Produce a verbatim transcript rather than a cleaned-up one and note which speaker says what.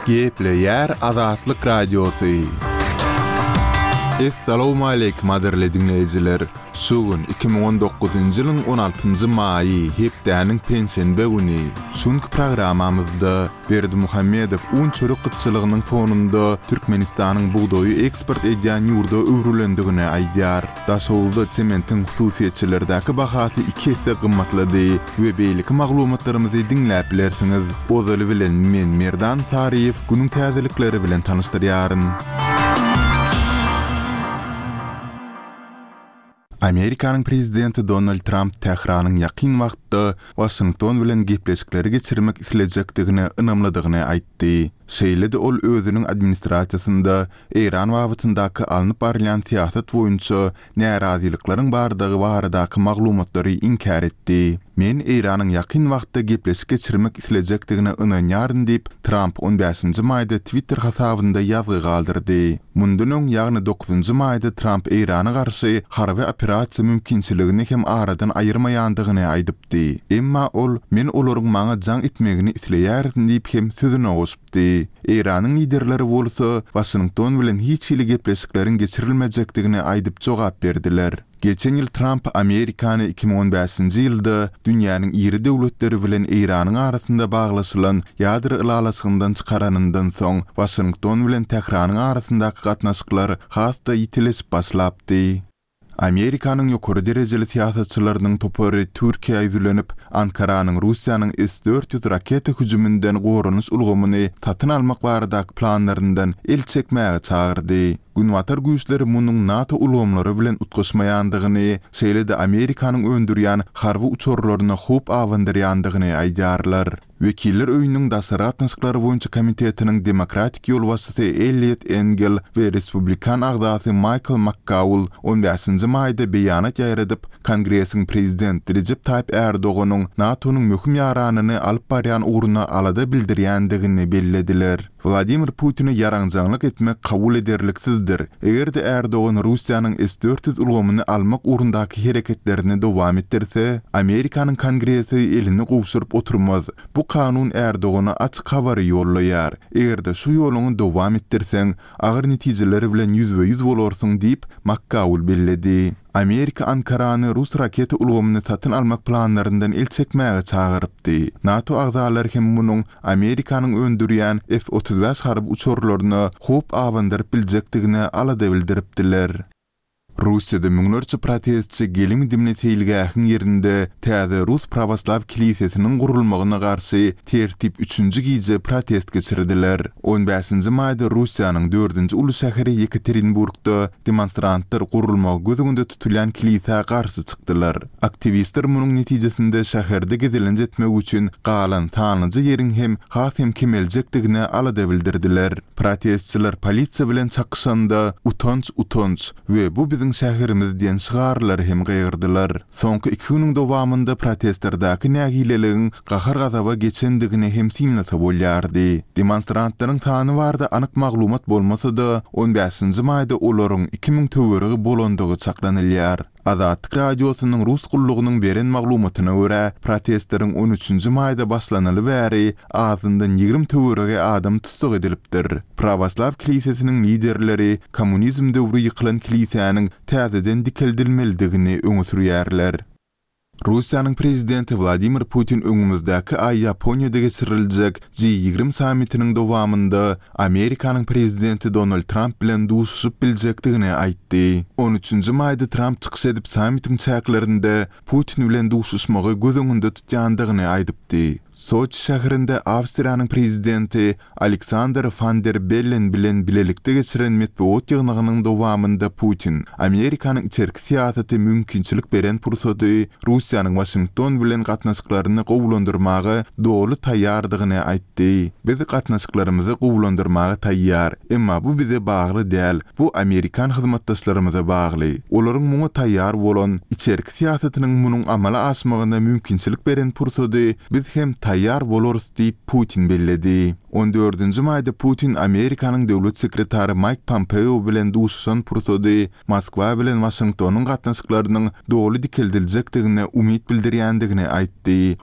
Speaker 1: Gepleýär Azatlyk Radiosy. Essalawmaleýkim gadyrly diňleýjiler! Şu gün iki müň on dokuzynjy ýylyň on altynjy maýy, hepdäniň penşenbe güni. Şu günki programmamyzda Berdimuhamedow un-çörek gytçylygynyň fonunda Türkmenistanyň bugdaýy eksport edýän ýurda öwrülendigini aýdýar. Daşoguzda sementiň hususyýetçilerdäki bahasy iki esse gymmatlady we beýleki maglumatlarymyzy diňläp bilersiňiz. Ozaly bilen men Merdan Saryýew günüň täzelikleri bilen tanyşdyrýaryn. Amerikanyň prezidenti Donald Tramp Tähranyň ýakyn wagtda Waşington bilen gepleşikleri geçirmek islejekdigine ynamlydygyny aýtdy. Şeýle-de ol özüniň administrasiýasynda Eýran babatyndaky alnyp barylýan syýasat boýunça närazylyklaryň bardygy baradaky maglumatlary inkär etdi. Men Eýranyň ýakyn wagtda gepleşik geçirmek islejekdigine ynanýaryn diýip, Tramp on bäşinji maýda Twitter hasabynda ýazgy galdyrdy. Mundan öň, ýagny dokuzynjy maýda Tramp Eýrana garşy harby operasiýa mümkinçiligini hem aradan aýyrmaýandygyny aýdypdy. Emma ol, Men olaryň maňa jaň etmegini isleýärin diýip hem sözüne goşupdy. Eýranyň liderleri bolsa, Waşington bilen hiç hili gepleşikleriň geçirilmejekdigini aýdyp jogap berdiler. Geçen ýyl Tramp Amerikany iki müň on bäşinji ýylda dünýäniň iri döwletleri bilen Eýranyň arasynda baglaşylan ýadro ylalaşygyndan çykaranyndan soň, Waşington bilen Tähranyň arasyndaky gatnaşyklar has-da ýitileşip başlapdy. Amerikanyň ýokary derejeli syýasatçylarynyň topary Türkiýä ýüzlenip, Ankaranyň Russiýanyň S dört ýüz raketa hüjüminden goranyş ulgamyny satyn almak baradaky planlaryndan el çekmäge çagyrdy. Günbatar güýçleri munuň NATO ulgamlary bilen utgaşmaýandygyny, şeýle-de Amerikanyň öndürýän harby uçarlaryna howp abandyrýandygyny aýdýarlar. Wekiller öýüniň daşary gatnaşyklary boýunça komitetiniň demokratik ýolbaşçysy Elliot Engel we respublikan agzasy Maýkl Makkaul on bäşinji maýda beýanat ýaýradyp, Kongresiň prezident Rejep Taýyp Erdoganyň NATO-nyň möhüm ýaranyny alyp barýan ugruna alada bildirýändigini bellediler. Wladimir Putine ýaranjaňlyk etmek kabul ederliksizdir. Eger-de Erdogan Russiýanyň S dört ýüz ulgamyny almak ugrundaky hereketlerini dowam etdirse, Amerikanyň Kongresi elini gowşuryp oturmaz. Bu kanun Erdogana açyk habary ýollaýar. Eger-de şu ýoluňy dowam etdirseň, agyr netijeler bilen ýüzbe-ýüz bolarsyň diýip, Makkaul belledi. Amerika Ankarany rus raketa ulgamyny satyn almak planlaryndan el çekmäge çagyrypdy. NATO agzalary hem munuň Amerikanyň öndürýän F otuz bäş harby uçarlaryna howp abandyryp biljekdigine alada bildiripdiler. Russiýada müňlerçe protestçi gelim-gidimli seýilgähiň ýerinde täze rus prawoslaw kilisesiniň gurulmagyna garşy tertip üçünji gije protest geçirdiler. On bäşinji maýda Russiýanyň dördünji uly şäheri Ýekaterinburgda demonstrantlar gurulmagy göz öňünde tutulýan kilisä garşy çykdylar. Aktiwistler munuň netijesinde şäherde gezelenç etmek üçin galan sanlyja ýeriň hem has hem kemeljekdigine alada bildirdiler. Protestçiler polisiýa bilen çakyşanda utanç, utanç we bu biziň şäherimiz diýen şygarlary hem gygyrdylar. Soňky iki günüň dowamynda protestlerdäki nägileligiň gahar-gazaba geçendigini hem synlasa bolýardy. Demonstrantlaryň sany barada anyk maglumat bolmasa-da, on bäşinji maýda olaryň iki müň töweregi bolandygy çaklanylýar. Azatlyk Radiosynyň rus gullugynyň beren maglumatyna görä, protestleriň on üçünji maýda başlanaly bäri azyndan ýigrimi töweregi adam tussag edilipdir. Prawoslaw kilisesiniň liderleri kommunizm döwri ýykylan kilisäniň täzeden dikeldilmelidigini öňe sürýärler. Russiýanyň prezidenti Wladimir Putin öňümizdäki aý Ýaponiýada geçiriljek G ýigrimi sammitiniň dowamynda Amerikanyň prezidenti Donald Tramp bilen duşuşyp biljekdigini aýtdy. On üçünji maýda Tramp çykyş edip sammitiň çäklerinde Putin bilen duşuşmagy göz öňünde tutýandygyny aýdypdy. Soçi şäherinde Awstriýanyň prezidenti Aleksandr Van der Bellen bilen bilelikde geçiren metbugat ýygnagynyň dowamynda Putin Amerikanyň içerki syýasaty mümkinçilik beren pursady Russiýanyň Waşington bilen gatnaşyklaryny gowulandyrmaga doly taýýardygyny aýtdy. Biz gatnaşyklarymyzy gowulandyrmaga taýýar, emma bu bize bagly däl, bu amerikan hyzmatdaşlarymyza bagly. Olaryň muňa taýýar bolan, içerki syýasatynyň munuň amala aşmagyna mümkinçilik beren pursady biz hem taýýar bolarys diýip Putin belledi. On dördünji maýda Putin Amerikanyň döwlet sekretary Maýk Pompeo bilen duşuşan pursady Moskwa bilen Waşingtonyň gatnaşyklarynyň doly dikeldiljekdigine umyt bildirýändigini aýtdy.